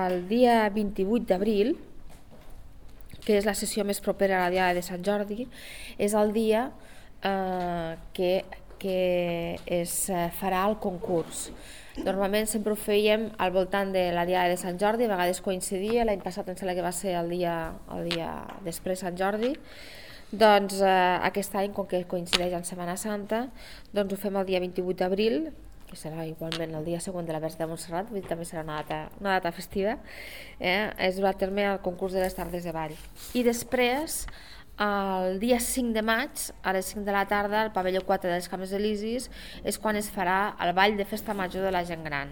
el dia 28 d'abril, que és la sessió més propera a la Diada de Sant Jordi, és el dia que es farà el concurs. Normalment sempre ho fèiem al voltant de la Diada de Sant Jordi, a vegades coincidia, l'any passat em sembla que va ser el dia després Sant Jordi. Doncs aquest any, com que coincideix en Setmana Santa, doncs ho fem el dia 28 d'abril, que serà igualment el dia següent de la Verge de Montserrat, vull dir, també serà una data festiva. Es durà a terme el concurs de les tardes de ball. I després, el dia 5 de maig, a les 5 de la tarda, al pavelló 4 dels Camps Elisis, és quan es farà el ball de festa major de la gent gran.